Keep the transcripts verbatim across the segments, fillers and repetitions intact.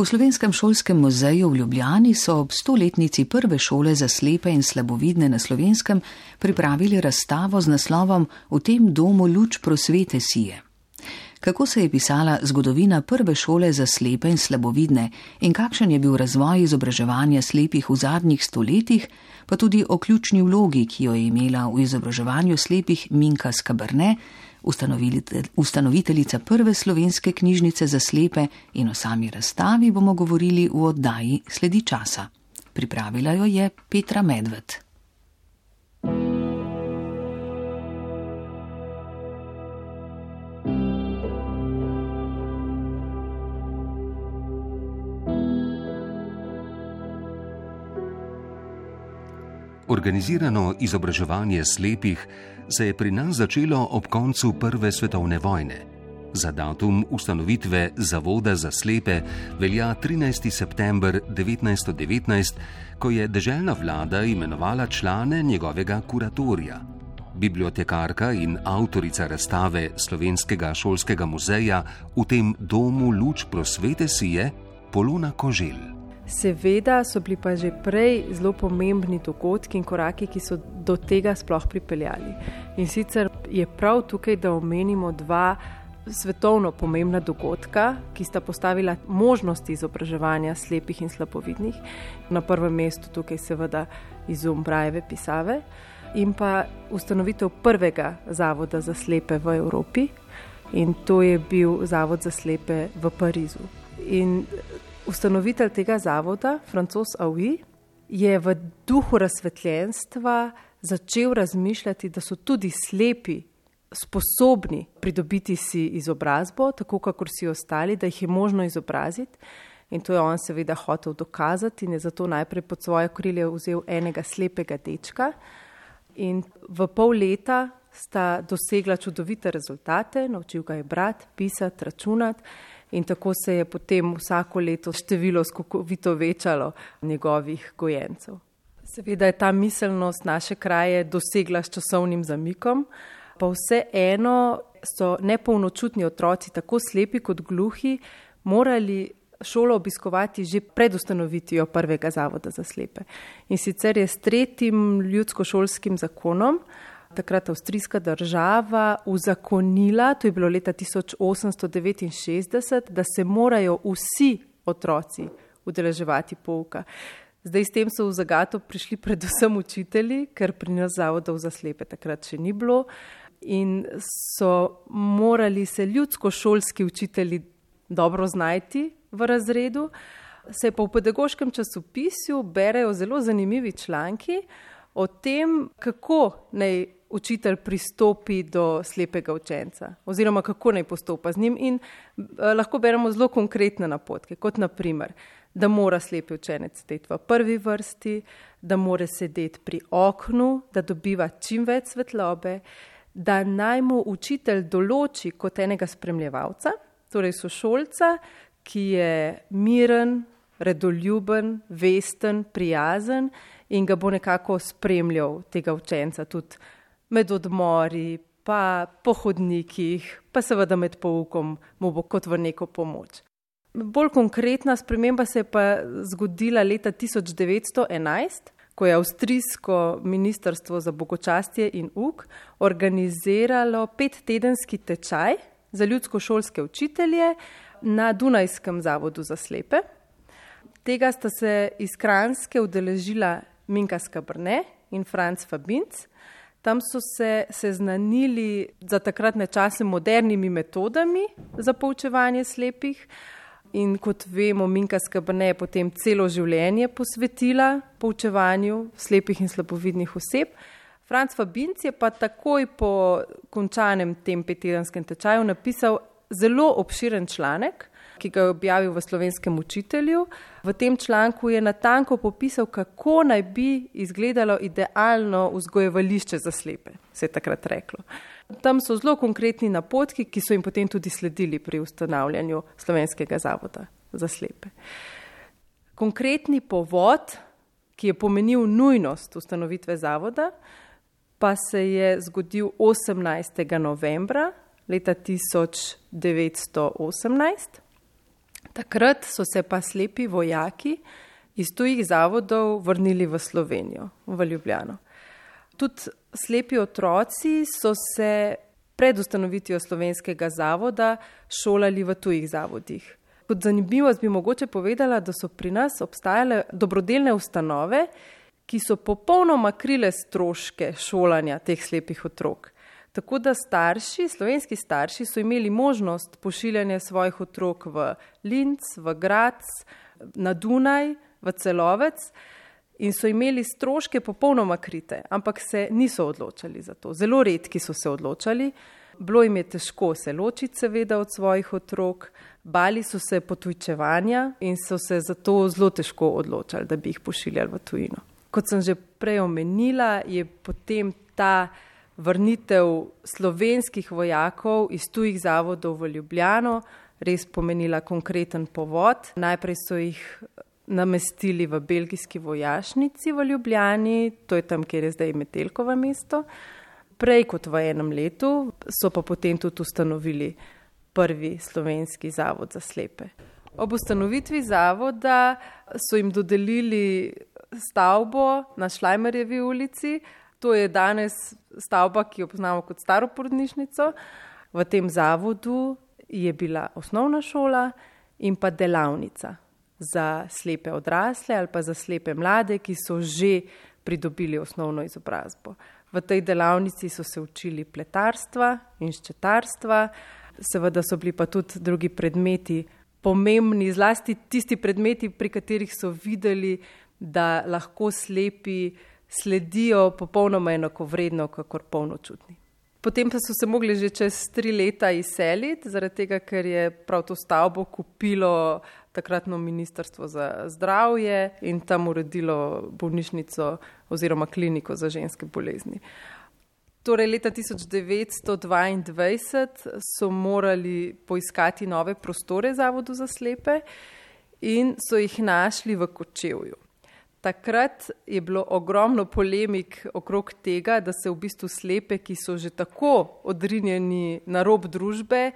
V Slovenskem šolskem muzeju v Ljubljani so ob stoletnici prve šole za slepe in slabovidne na Slovenskem pripravili razstavo z naslovom V tem domu luč prosvete sije. Kako se je pisala zgodovina prve šole za slepe in slabovidne in kakšen je bil razvoj izobraževanja slepih v zadnjih stoletjih, pa tudi o ključni vlogi, ki jo je imela v izobraževanju slepih Minka Skaberne, ustanoviteljica prve slovenske knjižnice za slepe, in o sami razstavi bomo govorili v oddaji Sledi časa. Pripravila jo je Petra Medved. Organizirano izobraževanje slepih se je pri nas začelo ob koncu Prve svetovne vojne. Za datum ustanovitve Zavoda za slepe velja trinajsti september devetnajststo devetnajst, ko je deželna vlada imenovala člane njegovega kuratorija. Bibliotekarka in avtorica razstave Slovenskega šolskega muzeja V tem domu luč prosvete sije, Polona Koželj. Seveda so bili pa že prej zelo pomembni dogodki in koraki, ki so do tega sploh pripeljali. In sicer je prav tukaj, da omenimo dva svetovno pomembna dogodka, ki sta postavila možnosti izobraževanja slepih in slabovidnih. Na prvem mestu tukaj seveda izum Brailleve pisave in pa ustanovitev prvega zavoda za slepe v Evropi, in to je bil Zavod za slepe v Parizu. In ustanovitelj tega zavoda, Francoz Haüy, je v duhu razsvetljenstva začel razmišljati, da so tudi slepi sposobni pridobiti si izobrazbo, tako kakor si ostali, da jih je možno izobraziti. In to je on seveda hotel dokazati in je zato najprej pod svoje krilje vzel enega slepega dečka. In v pol leta sta dosegla čudovite rezultate, naučil ga je brati, pisati, računati. In tako se je potem vsako leto število skokovito večalo njegovih gojencev. Seveda je ta miselnost naše kraje dosegla s časovnim zamikom, pa vseeno so nepolnočutni otroci, tako slepi kot gluhi, morali šolo obiskovati že pred ustanovitvijo prvega zavoda za slepe. In sicer je s tretjim ljudskošolskim zakonom takrat avstrijska država uzakonila, to je bilo leta tisoč osemsto devetinšestdeset, da se morajo vsi otroci udeleževati pouka. Zdaj s tem so v zagato prišli predvsem učitelji, ker pri nas zavodov za slepe takrat še ni bilo, in so morali se ljudskošolski učitelji dobro znajti v razredu. Se pa v pedagoškem časopisju berejo zelo zanimivi članki o tem, kako naj učitelj pristopi do slepega učenca oziroma kako naj postopa z njim, in eh, lahko beremo zelo konkretne napotke, kot na primer, da mora slepi učenec sedeti v prvi vrsti, da mora sedeti pri oknu, da dobiva čim več svetlobe, da naj mu učitelj določi kot enega spremljevalca, torej sošolca, ki je miren, redoljuben, vesten, prijazen in ga bo nekako spremljal tega učenca tudi med odmori, pa po hodnikih, pa seveda med poukom mu bo kot v neko pomoč. Bolj konkretna sprememba se je pa zgodila leta tisoč devetsto enajst, ko je avstrijsko ministrstvo za bogočastje in uk organiziralo pettedenski tečaj za ljudskošolske učitelje na Dunajskem zavodu za slepe. Tega sta se iz Kranjske udeležila Minka Skaberne in Franc Fabinc. Tam so se seznanili za takratne čase modernimi metodami za poučevanje slepih. In kot vemo, Minka Skaberne je potem celo življenje posvetila poučevanju slepih in slabovidnih oseb. Franc Fabinc je pa takoj po končanem tem pettedenskem tečaju napisal zelo obširen članek, ki ga je objavil v Slovenskem učitelju. V tem članku je natanko popisal, kako naj bi izgledalo idealno vzgojevališče za slepe, se je takrat reklo. Tam so zelo konkretni napotki, ki so jim potem tudi sledili pri ustanavljanju Slovenskega zavoda za slepe. Konkretni povod, ki je pomenil nujnost ustanovitve zavoda, pa se je zgodil osemnajstega novembra leta tisoč devetsto osemnajst. Takrat so se pa slepi vojaki iz tujih zavodov vrnili v Slovenijo, v Ljubljano. Tudi slepi otroci so se pred ustanovitvijo slovenskega zavoda šolali v tujih zavodih. Kot zanimivost bi mogoče povedala, da so pri nas obstajale dobrodelne ustanove, ki so popolnoma krile stroške šolanja teh slepih otrok. Tako da starši, slovenski starši so imeli možnost pošiljanja svojih otrok v Linz, v Graz, na Dunaj, v Celovec in so imeli stroške popolnoma krite, ampak se niso odločali za to. Zelo redki so se odločali. Bilo jim je težko se ločiti seveda od svojih otrok, bali so se potujčevanja in so se zato zelo težko odločali, da bi jih pošiljali v tujino. Kot sem že prej omenila, je potem ta vrnitev slovenskih vojakov iz tujih zavodov v Ljubljano res pomenila konkreten povod. Najprej so jih namestili v belgijski vojašnici v Ljubljani, to je tam, kjer je zdaj Metelkovo mesto. Prej kot v enem letu so pa potem tudi ustanovili prvi slovenski zavod za slepe. Ob ustanovitvi zavoda so jim dodelili stavbo na Šlajmerjevi ulici. To je danes stavba, ki jo poznamo kot staro porodnišnico. V tem zavodu je bila osnovna šola in pa delavnica za slepe odrasle ali pa za slepe mlade, ki so že pridobili osnovno izobrazbo. V tej delavnici so se učili pletarstva in ščetarstva, seveda so bili pa tudi drugi predmeti pomembni, zlasti tisti predmeti, pri katerih so videli, da lahko slepi sledijo popolnoma enakovredno, kakor polnočutni. Potem pa so se mogli že čez tri leta izseliti, zaradi tega, ker je prav to stavbo kupilo takratno ministrstvo za zdravje in tam uredilo bolnišnico oziroma kliniko za ženske bolezni. Torej leta tisoč devetsto dvaindvajset so morali poiskati nove prostore zavodu za slepe in so jih našli v Kočevju. Takrat je bilo ogromno polemik okrog tega, da se v bistvu slepe, ki so že tako odrinjeni na rob družbe,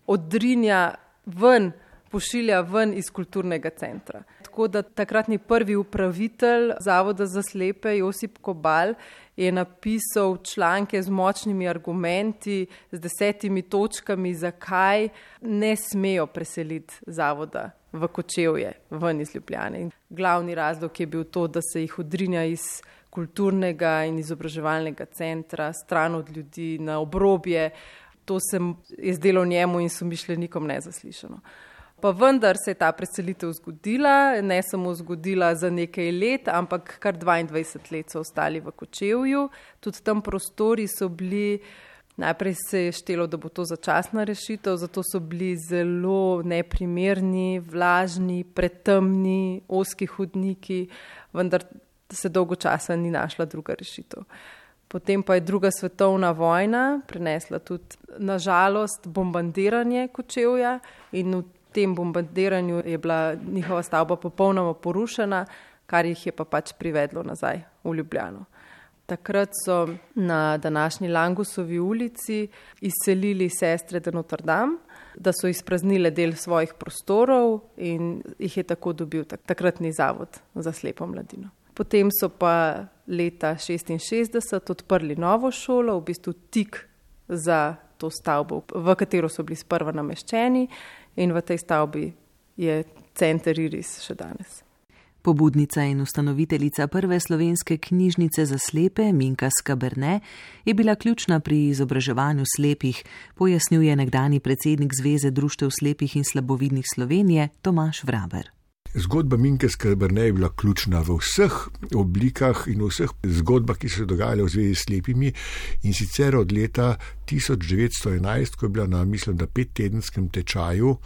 odrinja ven, pošilja ven iz kulturnega centra. Tako da takratni prvi upravitelj zavoda za slepe, Josip Kobal, je napisal članke z močnimi argumenti, z desetimi točkami, zakaj ne smejo preseliti zavoda v Kočevje, ven iz Ljubljane. Glavni razlog je bil to, da se jih odrinja iz kulturnega in izobraževalnega centra, stran od ljudi, na obrobje. To se je zdelo njemu in somišljenikom nezaslišano. Pa vendar se je ta preselitev zgodila, ne samo zgodila za nekaj let, ampak kar dvaindvajset let so ostali v Kočevju. Tudi tam prostori so bili, najprej se je štelo, da bo to začasna rešitev, zato so bili zelo neprimerni, vlažni, pretemni, ozki hodniki, vendar se dolgo časa ni našla druga rešitev. Potem pa je druga svetovna vojna prinesla tudi, na žalost, bombardiranje Kočevja in v V tem bombardiranju je bila njihova stavba popolnoma porušena, kar jih je pa pač privedlo nazaj v Ljubljano. Takrat so na današnji Langusovi ulici izselili sestre de Notre Dame, da so izpraznile del svojih prostorov in jih je tako dobil takratni zavod za slepo mladino. Potem so pa leta šestinšestdeset odprli novo šolo, v bistvu tik za to stavbo, v katero so bili sprva nameščeni. In v tej stavbi je center Iris še danes. Pobudnica in ustanoviteljica prve slovenske knjižnice za slepe, Minka Skaberne, je bila ključna pri izobraževanju slepih, pojasnjuje nekdani predsednik Zveze društev slepih in slabovidnih Slovenije, Tomaž Vraber. Zgodba Minke Skaberne je bila ključna v vseh oblikah in v vseh zgodbah, ki so se dogajale v zvezi s slepimi, in sicer od leta tisoč devetsto enajst, ko je bila na, mislim, da pettedenskem tečaju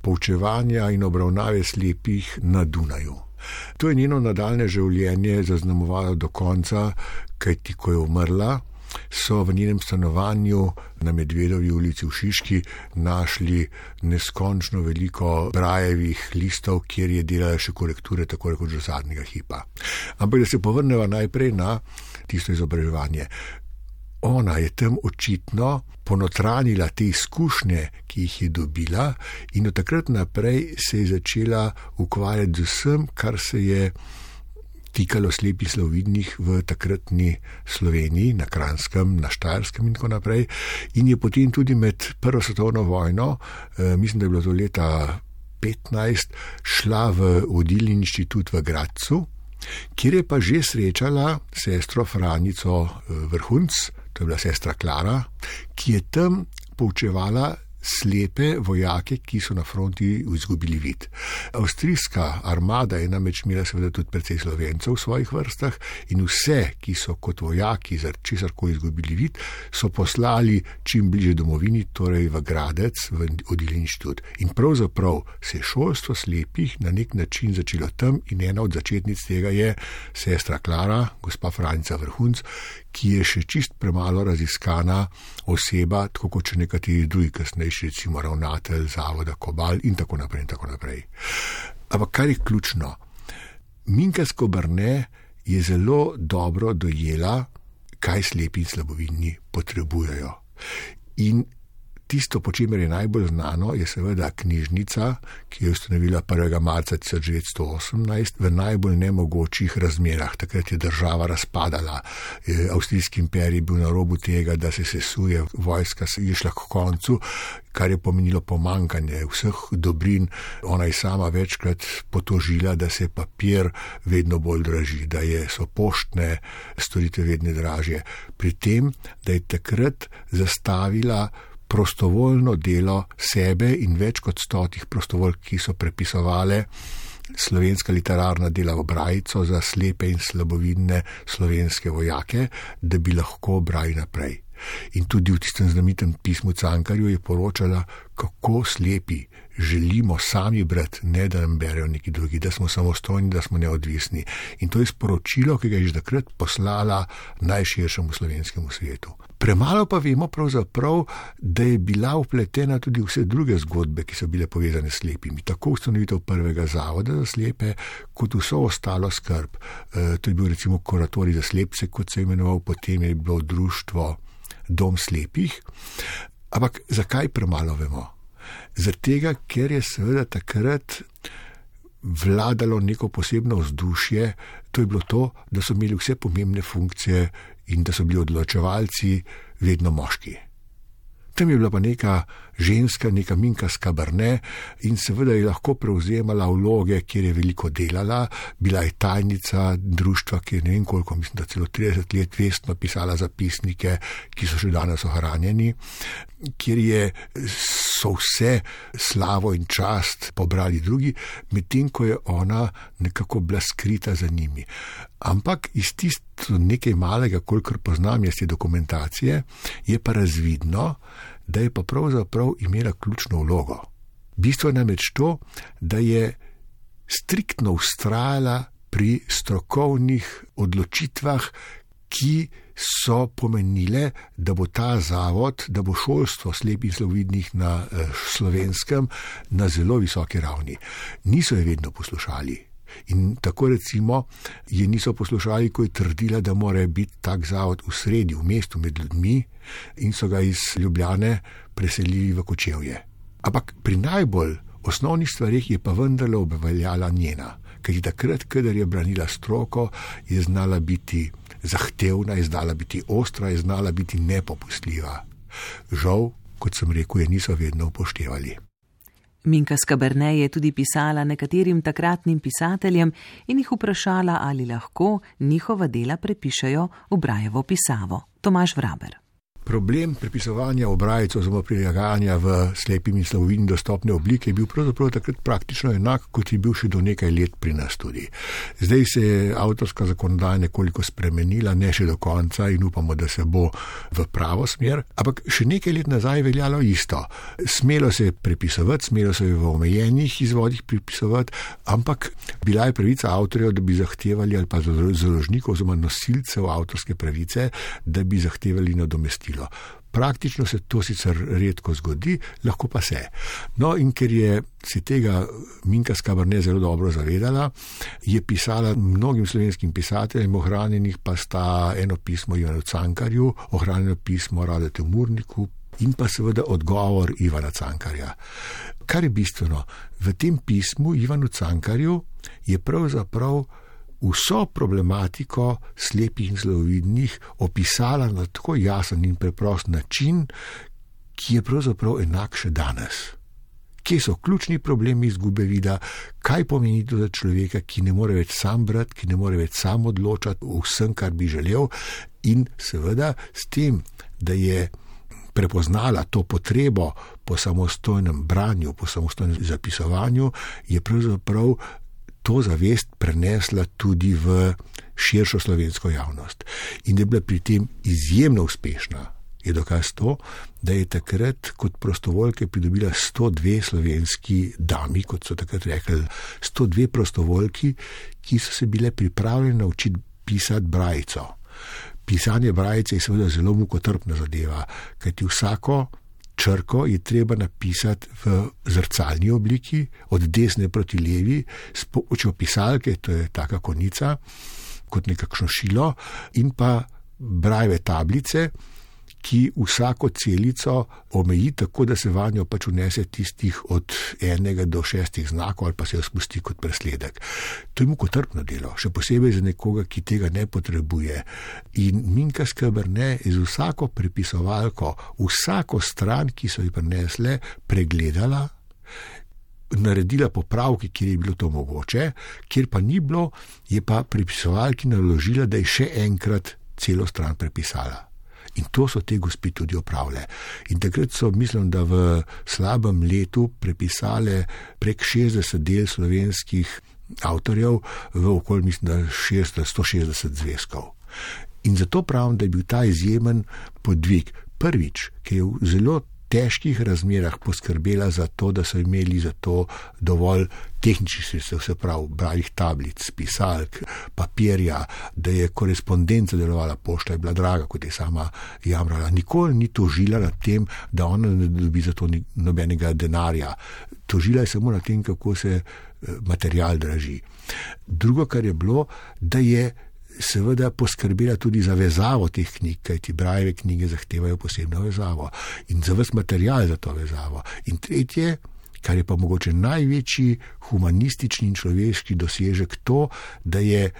poučevanja in obravnave slepih na Dunaju. To je njeno nadaljne življenje zaznamovalo do konca, kajti ko je umrla, so v njenem stanovanju na Medvedovi ulici v Šiški našli neskončno veliko brajevih listov, kjer je delala še korekture tako rekoč do zadnjega hipa. Ampak da se povrneva najprej na tisto izobraževanje. ona je tam očitno ponotranila te izkušnje, ki jih je dobila, in od takrat naprej se je začela ukvarjati z vsem, kar se je tikalo slepih slabovidnih v takratni Sloveniji, na Kranjskem, na Štajerskem in tako naprej. In je potem tudi med Prvo svetovno vojno, eh, mislim, da je bilo to leta petnajst, šla v vodilni inštitut v Gradcu, kjer je pa že srečala sestro Franico Vrhunc, to je bila sestra Klara, ki je tam poučevala slepe vojake, ki so na fronti izgubili vid. Avstrijska armada je namreč imela seveda tudi precej Slovencev v svojih vrstah in vse, ki so kot vojaki za česarkoli izgubili vid, so poslali čim bliže domovini, torej v Gradec, v vodilni inštitut. In pravzaprav se je šolstvo slepih na nek način začelo tam in ena od začetnic tega je sestra Klara, gospa Franica Vrhunc, ki je še čist premalo raziskana oseba, tako kot še nekateri drugi kasnejši, recimo ravnatelj zavoda Kobal in tako naprej in tako naprej. Ampak kar je ključno, Minka Skoberne je zelo dobro dojela, kaj slepi in slabovidni potrebujejo. In tisto, po čemer je najbolj znano, je seveda knjižnica, ki je ustanovila prvega marca tisoč devetsto osemnajst v najbolj nemogočih razmerah. Takrat je država razpadala, Avstrijski imperij bil na robu tega, da se sesuje, vojska se je šla k koncu, kar je pomenilo pomankanje vseh dobrin. Ona je sama večkrat potožila, da se papir vedno bolj draži, da je, so poštne storitve vedno dražje. Pri tem, da je takrat zastavila prostovoljno delo sebe in več kot stotih prostovoljk, ki so prepisovale slovenska literarna dela v brajico za slepe in slabovidne slovenske vojake, da bi lahko brali naprej. In tudi v tistem znamitem pismu Cankarju je poročala, kako slepi želimo sami brati, ne da nam berejo neki drugi, da smo samostojni, da smo neodvisni. In to je sporočilo, ki ga je že takrat poslala najširšemu slovenskemu svetu. Premalo pa vemo pravzaprav, da je bila vpletena tudi vse druge zgodbe, ki so bile povezane s slepimi. Tako ustanovitev prvega zavoda za slepe, kot vso ostalo skrb. E, to je bil recimo kuratorij za slepce, kot se je imenoval, potem je bilo društvo Dom slepih. Ampak zakaj premalo vemo? Zaradi, ker je seveda takrat vladalo neko posebno vzdušje, to je bilo to, da so imeli vse pomembne funkcije in da so bili odločevalci vedno moški. Tam je bila pa neka ženska, neka Minka Skoberne in seveda je lahko prevzemala vloge, kjer je veliko delala, bila je tajnica društva, ki je ne vem koliko, mislim, da celo trideset let vestno pisala zapisnike, ki so še danes ohranjeni, kjer je so vse slavo in čast pobrali drugi, medtem ko je ona nekako bila skrita za njimi. Ampak iz tisto nekaj malega, kolikor poznam jaz te dokumentacije, je pa razvidno, da je pa pravzaprav imela ključno vlogo. Bistvo je namreč to, da je striktno vztrajala pri strokovnih odločitvah, ki so pomenile, da bo ta zavod, da bo šolstvo slepih in slabovidnih na eh, Slovenskem na zelo visoki ravni. Niso je vedno poslušali. In tako recimo je niso poslušali, ko je trdila, da mora biti tak zavod v sredi, v mestu med ljudmi in so ga iz Ljubljane preselili v Kočevje. Ampak pri najbolj osnovnih stvarih je pa vendarle obveljala njena, kajti takrat, kadar je branila stroko, je znala biti zahtevna, je znala biti ostra, je znala biti nepopustljiva. Žal, kot sem rekel, je niso vedno upoštevali. Minka Skoberne je tudi pisala nekaterim takratnim pisateljem in jih vprašala, ali lahko njihova dela prepišejo v Brajevo pisavo. Tomaž Vraber. Problem prepisovanja v brajico oziroma prilagajanja v slepim in slabovidnim dostopne oblike je bil pravzaprav takrat praktično enak, kot je bil še do nekaj let pri nas tudi. Zdaj se je avtorska zakonodaja nekoliko spremenila, ne še do konca in upamo, da se bo v pravo smer, ampak še nekaj let nazaj veljalo isto. Smelo se je prepisovati, smelo se je v omejenih izvodih prepisovati, ampak bila je pravica avtorjev, da bi zahtevali ali pa založnikov oziroma nosilcev avtorske pravice, da bi zahtevali nadomestilo. Praktično se to sicer redko zgodi, lahko pa se. No, in ker je se tega Minka Skabernej zelo dobro zavedala, je pisala mnogim slovenskim pisateljem, ohranjenih pa sta eno pismo Ivanu Cankarju, ohranjeno pismo Radetu Murniku in pa seveda odgovor Ivana Cankarja. Kar je bistveno, v tem pismu Ivanu Cankarju je pravzaprav vso problematiko slepih in slabovidnih opisala na tako jasen in preprost način, ki je pravzaprav enak še danes. Kje so ključni problemi izgube vida, kaj pomeni to za človeka, ki ne more več sam brati, ki ne more več sam odločati o vsem, kar bi želel, in seveda s tem, da je prepoznala to potrebo po samostojnem branju, po samostojnem zapisovanju, je pravzaprav to zavest prenesla tudi v širšo slovensko javnost. In da je bila pri tem izjemno uspešna, je dokaz to, da je takrat kot prostovoljke pridobila sto dve slovenski dami, kot so takrat rekli, sto dve prostovoljki, ki so se bile pripravljene naučiti pisati brajico. Pisanje brajice je seveda zelo mukotrpna zadeva, kajti vsako črko je treba napisati v zrcalni obliki, od desne proti levi, s pomočjo pisalke, to je taka konica, kot nekakšno šilo, in pa brajeve tablice, ki vsako celico omeji tako, da se vanjo pač vnese tistih od enega do šestih znakov ali pa se jo spusti kot presledek. To je mukotrpno delo, še posebej za nekoga, ki tega ne potrebuje. In Minka Skabernej je z vsako prepisovalko, vsako stran, ki so ji prinesle, pregledala, naredila popravke, kjer je bilo to mogoče, kjer pa ni bilo, je pa prepisovalki naložila, da je še enkrat celo stran prepisala. In to so te gospe tudi opravile. In takrat so, mislim, da v slabem letu prepisale prek šestdeset del slovenskih avtorjev v okoli, mislim, da šeststo, sto šestdeset zvezkov. In zato pravim, da je bil ta izjemen podvig. Prvič, ki je v zelo težkih razmerah poskrbela za to, da so imeli za to dovolj tehničnih sredstev, se pravi bralnih tablic, pisalk, papirja, da je korespondenca delovala, pošta je bila draga, kot je sama jamrala. Nikoli ni tožila nad tem, da ona ne dobi za to nobenega denarja. Tožila je samo nad tem, kako se material draži. Drugo, kar je bilo, da je seveda poskrbela tudi za vezavo teh knjig, kajti brajeve knjige zahtevajo posebno vezavo in za ves material za to vezavo. In tretje, kar je pa mogoče največji humanistični in človeški dosežek, to, da je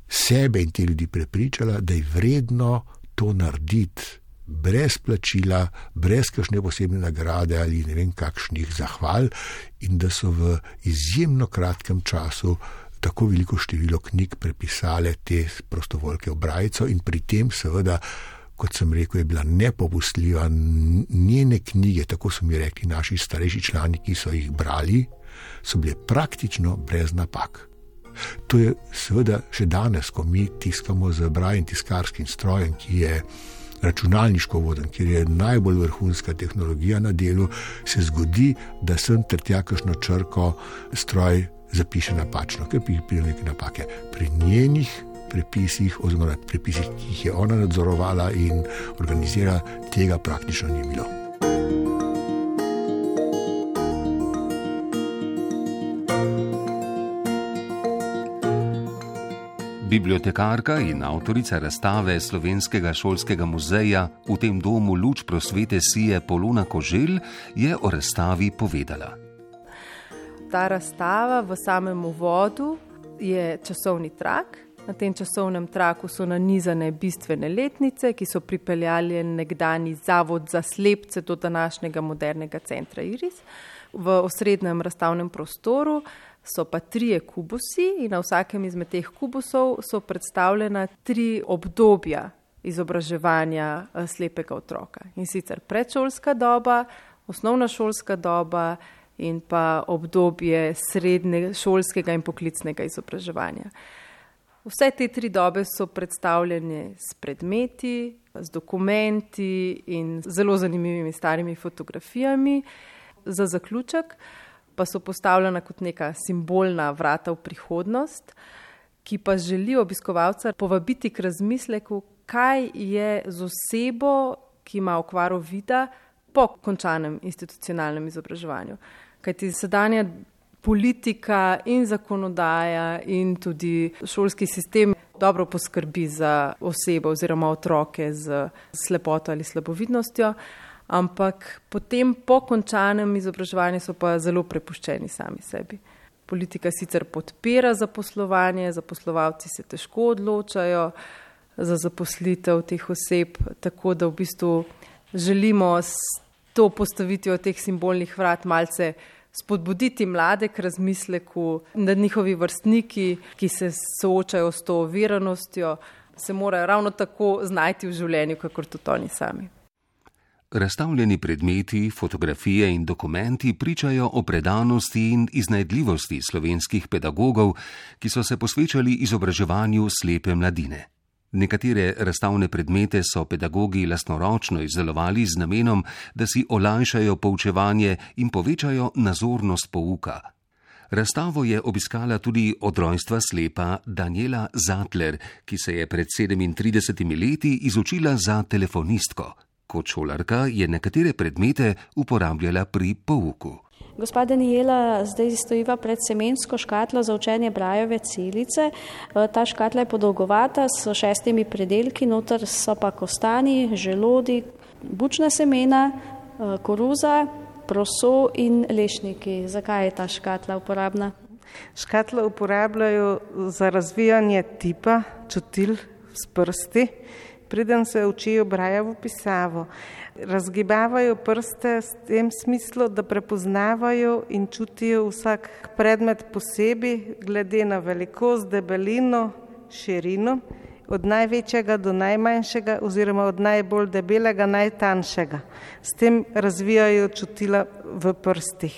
sebe in te ljudi prepričala, da je vredno to narediti brez plačila, brez kakšne posebne nagrade ali ne vem kakšnih zahval, in da so v izjemno kratkem času tako veliko število knjig prepisale te prostovoljke v brajico in pri tem seveda, kot sem rekel, je bila nepopustljiva. Njene knjige, tako so mi rekli naši starejši člani, ki so jih brali, so bile praktično brez napak. To je seveda še danes, ko mi tiskamo z brajnim tiskarskim strojem, ki je računalniško voden, kjer je najbolj vrhunska tehnologija na delu, se zgodi, da sem ter tja kakšno črko stroj zapiše napačno, ker pride neke napake. Pri njenih prepisih, oziroma prepisih, ki jih je ona nadzorovala in organizira, tega praktično ni bilo. Bibliotekarka in avtorica razstave Slovenskega šolskega muzeja V tem domu luč prosvete sije Polona Koželj je o razstavi povedala. Ta razstava v samem uvodu je časovni trak. Na tem časovnem traku so nanizane bistvene letnice, ki so pripeljali nekdani zavod za slepce do današnjega modernega centra Iris. V osrednjem razstavnem prostoru so pa trije kubusi in na vsakem izmed teh kubusov so predstavljena tri obdobja izobraževanja slepega otroka. In sicer predšolska doba, osnovna šolska doba in pa obdobje srednješolskega in poklicnega izobraževanja. Vse te tri dobe so predstavljene s predmeti, z dokumenti in zelo zanimivimi starimi fotografijami. Za zaključek pa so postavljena kot neka simbolna vrata v prihodnost, ki pa želi obiskovalca povabiti k razmisleku, kaj je z osebo, ki ima okvaro vida po končanem institucionalnem izobraževanju. Kajti sedanja politika in zakonodaja in tudi šolski sistem dobro poskrbi za osebe oziroma otroke z slepoto ali slabovidnostjo, ampak potem po končanem izobraževanju so pa zelo prepuščeni sami sebi. Politika sicer podpira zaposlovanje, zaposlovalci se težko odločajo za zaposlitev teh oseb, tako da v bistvu želimo s to postavitvijo teh simbolnih vrat malce spodbuditi mlade k razmisleku, da njihovi vrstniki, ki se soočajo s to oviranostjo, se morajo ravno tako znajti v življenju, kakor tudi oni sami. Razstavljeni predmeti, fotografije in dokumenti pričajo o predanosti in iznajdljivosti slovenskih pedagogov, ki so se posvečali izobraževanju slepe mladine. Nekatere razstavne predmete so pedagogi lastnoročno izdelovali z namenom, da si olajšajo poučevanje in povečajo nazornost pouka. Razstavo je obiskala tudi od rojstva slepa Danijela Zatler, ki se je pred sedemintridesetimi leti izučila za telefonistko. Kot šolarka je nekatere predmete uporabljala pri pouku. Gospa Danijela zdaj stojiva pred semensko škatlo za učenje brajeve celice. Ta škatla je podolgovata s šestimi predelki, noter so pa kostani, želodi, bučna semena, koruza, proso in lešniki. Zakaj je ta škatla uporabna? Škatlo uporabljajo za razvijanje tipa, čutil s prsti, preden se učijo brajevo pisavo. Razgibavajo prste s tem smislu, da prepoznavajo in čutijo vsak predmet posebej, glede na velikost, debelino, širino, od največjega do najmanjšega oziroma od najbolj debelega, najtanjšega. S tem razvijajo čutila v prstih.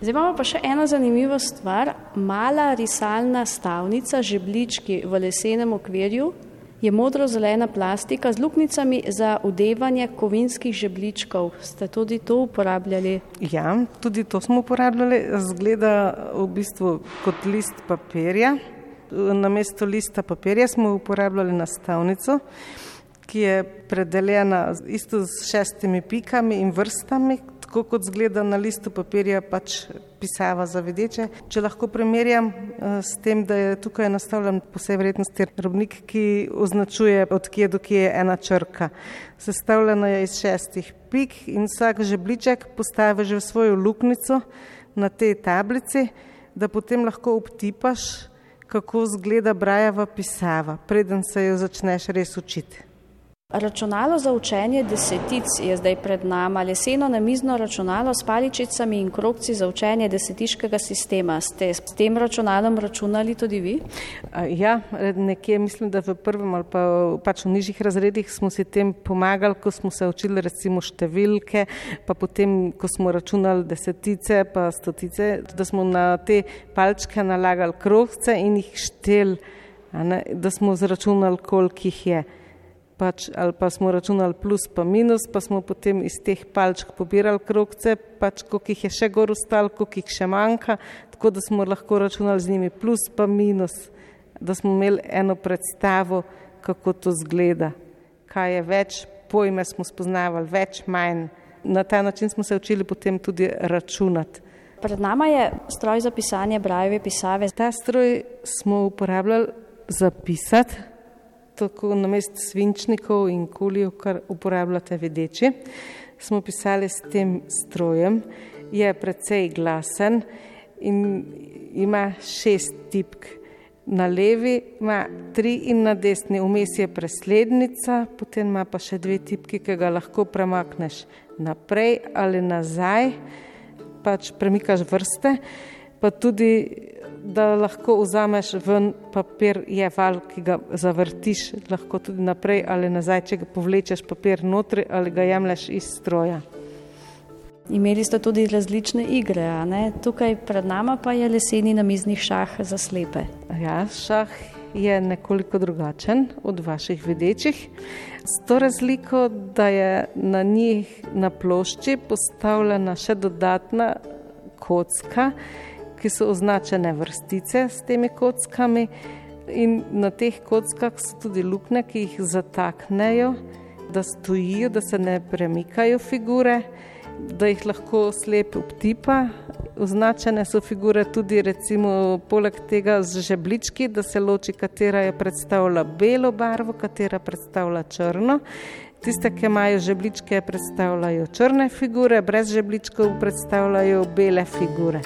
Zdaj imamo pa še eno zanimivo stvar. Mala risalna stavnica, žebljički v lesenem okvirju, je modro-zelena plastika z luknjicami za vdevanje kovinskih žebljičkov. Ste tudi to uporabljali? Ja, tudi to smo uporabljali. Zgleda v bistvu kot list papirja. Namesto lista papirja smo uporabljali nastavnico, ki je predeljena isto s šestimi pikami in vrstami, tako kot zgleda na listu papirja pač pisava za vedeče. Če lahko primerjam s tem, da je tukaj nastavljen po vsej verjetnosti robnik, ki označuje od kje do kje je ena črka. Sestavljena je iz šestih pik in vsak žebljiček postavi že v svojo luknjico na tej tablici, da potem lahko obtipaš, kako zgleda brajeva pisava, preden se jo začneš res učiti. Računalo za učenje desetic je zdaj pred nama. Leseno namizno računalo s paličicami in krogci za učenje desetiškega sistema. Ste s tem računalom računali tudi vi? Ja, nekje mislim, da v prvem ali pa pač v nižjih razredih smo si tem pomagali, ko smo se učili recimo številke, pa potem, ko smo računali desetice pa stotice, da smo na te palčke nalagali krogce in jih štel, da smo zračunali, koliko jih je. Pač, ali pa smo računali plus pa minus, pa smo potem iz teh palčk pobirali krogce, pač koliko jih je še gor ostalo, koliko jih še manjka, tako da smo lahko računali z njimi plus pa minus, da smo imeli eno predstavo, kako to zgleda. Kaj je več, pojme smo spoznavali, več, manj. Na ta način smo se učili potem tudi računati. Pred nama je stroj za pisanje brajeve pisave. Ta stroj smo uporabljali za pisati, tako namesto svinčnikov in kulijev, kar uporabljate vedeči, smo pisali s tem strojem. Je precej glasen in ima šest tipk. Na levi ima tri in na desni, vmes je preslednica, potem ima pa še dve tipki, ki ga lahko premakneš naprej ali nazaj, pač premikaš vrste, pa tudi da lahko vzameš ven papir, je val, ki ga zavrtiš, lahko tudi naprej ali nazaj, če ga povlečeš papir notri ali ga jemlješ iz stroja. Imeli ste tudi različne igre, a ne? Tukaj pred nama pa je leseni namizni šah za slepe. Ja, šah je nekoliko drugačen od vaših vedečih. S to razliko, da je na njih na plošči postavljena še dodatna kocka, ki so označene vrstice s temi kockami in na teh kockah so tudi luknje, ki jih zataknejo da stojijo, da se ne premikajo figure, da jih lahko slep obtipa. Označene so figure tudi recimo poleg tega z žeblički, da se loči, katera je predstavlja belo barvo, katera predstavlja črno. Tiste, ki imajo žebličke, predstavljajo črne figure, brez žebličkov predstavljajo bele figure.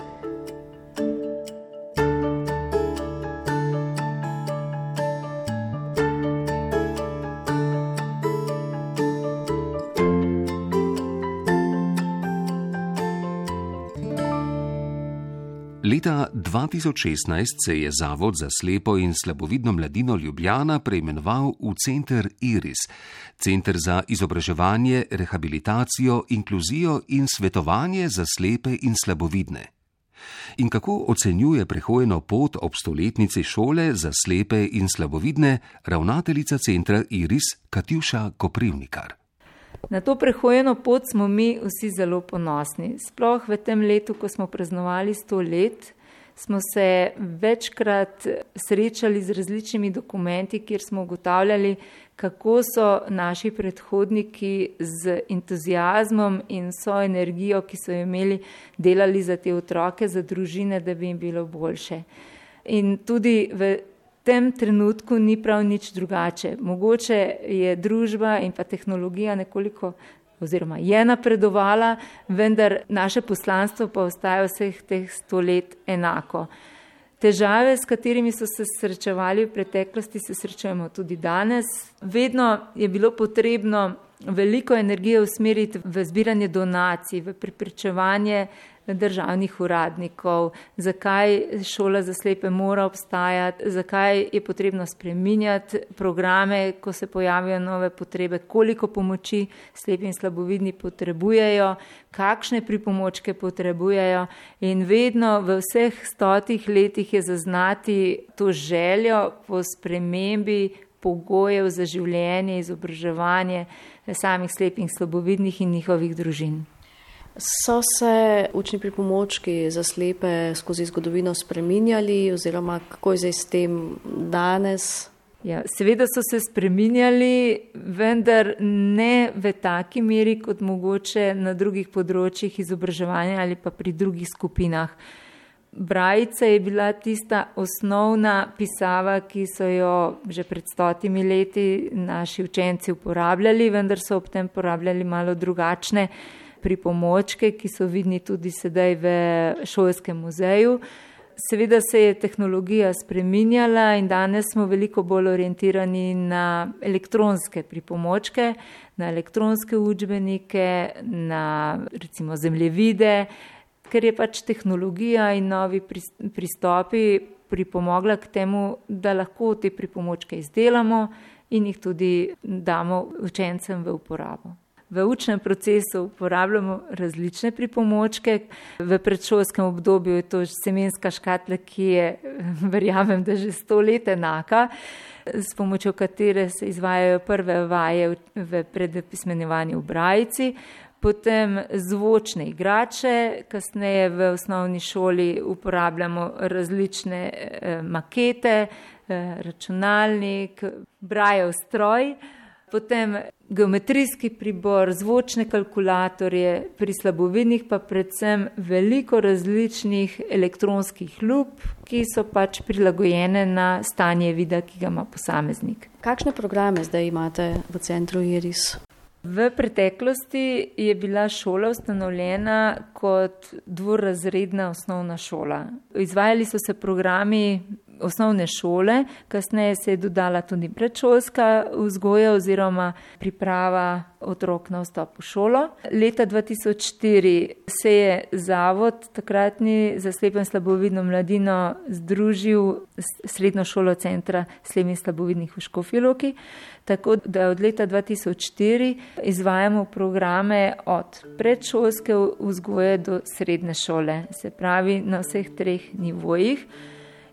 Leta dva tisoč šestnajst se je Zavod za slepo in slabovidno mladino Ljubljana preimenoval v Center Iris, Center za izobraževanje, rehabilitacijo, inkluzijo in svetovanje za slepe in slabovidne. In kako ocenjuje prehojeno pot ob stoletnici šole za slepe in slabovidne ravnateljica Centra Iris Katjuša Koprivnikar. Na to prehojeno pot smo mi vsi zelo ponosni. Sploh v tem letu, ko smo praznovali sto let, smo se večkrat srečali z različnimi dokumenti, kjer smo ugotavljali, kako so naši predhodniki z entuziazmom in vso energijo, ki so imeli, delali za te otroke, za družine, da bi jim bilo boljše. In tudi v V tem trenutku ni prav nič drugače. Mogoče je družba in pa tehnologija nekoliko oziroma je napredovala, vendar naše poslanstvo pa ostaja vseh teh sto let enako. Težave, s katerimi so se srečevali v preteklosti, se srečujemo tudi danes. Vedno je bilo potrebno veliko energije usmeriti v zbiranje donacij, v preprečevanje državnih uradnikov, zakaj šola za slepe mora obstajati, zakaj je potrebno spreminjati programe, ko se pojavijo nove potrebe, koliko pomoči slepi in slabovidni potrebujejo, kakšne pripomočke potrebujejo in vedno v vseh stotih letih je zaznati to željo po spremembi pogojev za življenje, izobraževanje samih slepih in slabovidnih in njihovih družin. So se učni pripomočki za slepe skozi zgodovino spreminjali oziroma kako je zdaj s tem danes? Ja, seveda so se spreminjali, vendar ne v taki meri kot mogoče na drugih področjih izobraževanja ali pa pri drugih skupinah. Brajica je bila tista osnovna pisava, ki so jo že pred stotimi leti naši učenci uporabljali, vendar so ob tem uporabljali malo drugačne pripomočke, ki so vidni tudi sedaj v šolskem muzeju. Seveda se je tehnologija spreminjala in danes smo veliko bolj orientirani na elektronske pripomočke, na elektronske učbenike, na recimo zemljevide, ker je pač tehnologija in novi pristopi pripomogla k temu, da lahko te pripomočke izdelamo in jih tudi damo učencem v uporabo. V učnem procesu uporabljamo različne pripomočke. V predšolskem obdobju je to semenska škatla, ki je, verjamem, da že sto let enaka, s pomočjo katere se izvajajo prve vaje v predpismenjevanju v brajici, potem zvočne igrače, kasneje v osnovni šoli uporabljamo različne makete, računalnik, brajev stroj, potem geometrijski pribor, zvočne kalkulatorje, pri slabovidnih pa predvsem veliko različnih elektronskih lup, ki so pač prilagojene na stanje vida, ki ga ima posameznik. Kakšne programe zdaj imate v Centru Iris? V preteklosti je bila šola ustanovljena kot dvorazredna osnovna šola. Izvajali so se programi osnovne šole, kasneje se je dodala tudi predšolska vzgoja oziroma priprava otrok na vstop v šolo. Leta dva tisoč štiri se je Zavod takratni za slepo in slabovidno mladino združil s srednjo šolo Centra slepih in slabovidnih v Škofji Loki, tako da od leta dva tisoč štiri izvajamo programe od predšolske vzgoje do srednje šole, se pravi na vseh treh nivojih.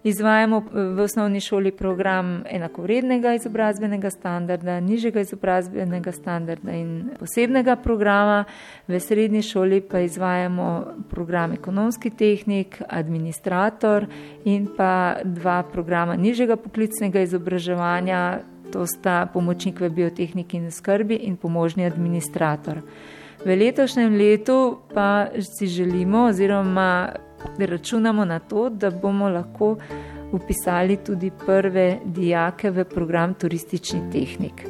Izvajamo v osnovni šoli program enakovrednega izobrazbenega standarda, nižjega izobrazbenega standarda in posebnega programa. V srednji šoli pa izvajamo program ekonomski tehnik, administrator in pa dva programa nižjega poklicnega izobraževanja, To sta pomočnik v biotehniki in skrbi in pomožni administrator. V letošnjem letu pa si želimo oziroma računamo na to, da bomo lahko vpisali tudi prve dijake v program turistični tehnik.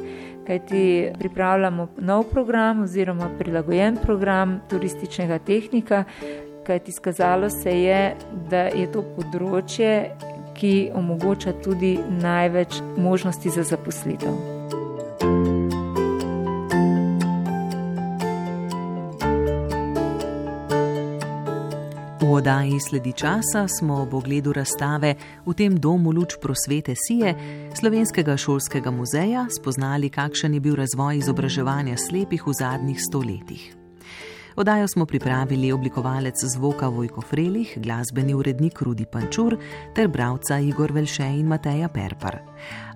Kajti pripravljamo nov program oziroma prilagojen program turističnega tehnika, kajti izkazalo se je, da je to področje, ki omogoča tudi največ možnosti za zaposlitev. V oddaji Sledi časa smo ob ogledu razstave v tem domu Luč prosvete Sije Slovenskega šolskega muzeja spoznali, kakšen je bil razvoj izobraževanja slepih v zadnjih sto letih. Oddajo smo pripravili oblikovalec zvoka Vojko Frelih, glasbeni urednik Rudi Pančur ter bralca Igor Velše in Mateja Perpar.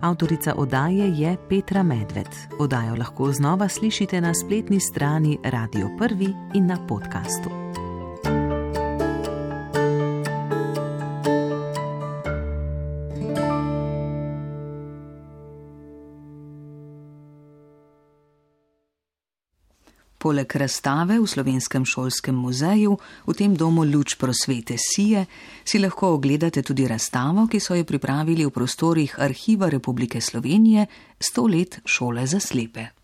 Avtorica oddaje je Petra Medved. Oddajo lahko znova slišite na spletni strani Radio Prvi in na podkastu. Poleg razstave v Slovenskem šolskem muzeju v tem domu Luč prosvete Sije si lahko ogledate tudi razstavo, ki so jo pripravili v prostorih Arhiva Republike Slovenije sto let šole za slepe.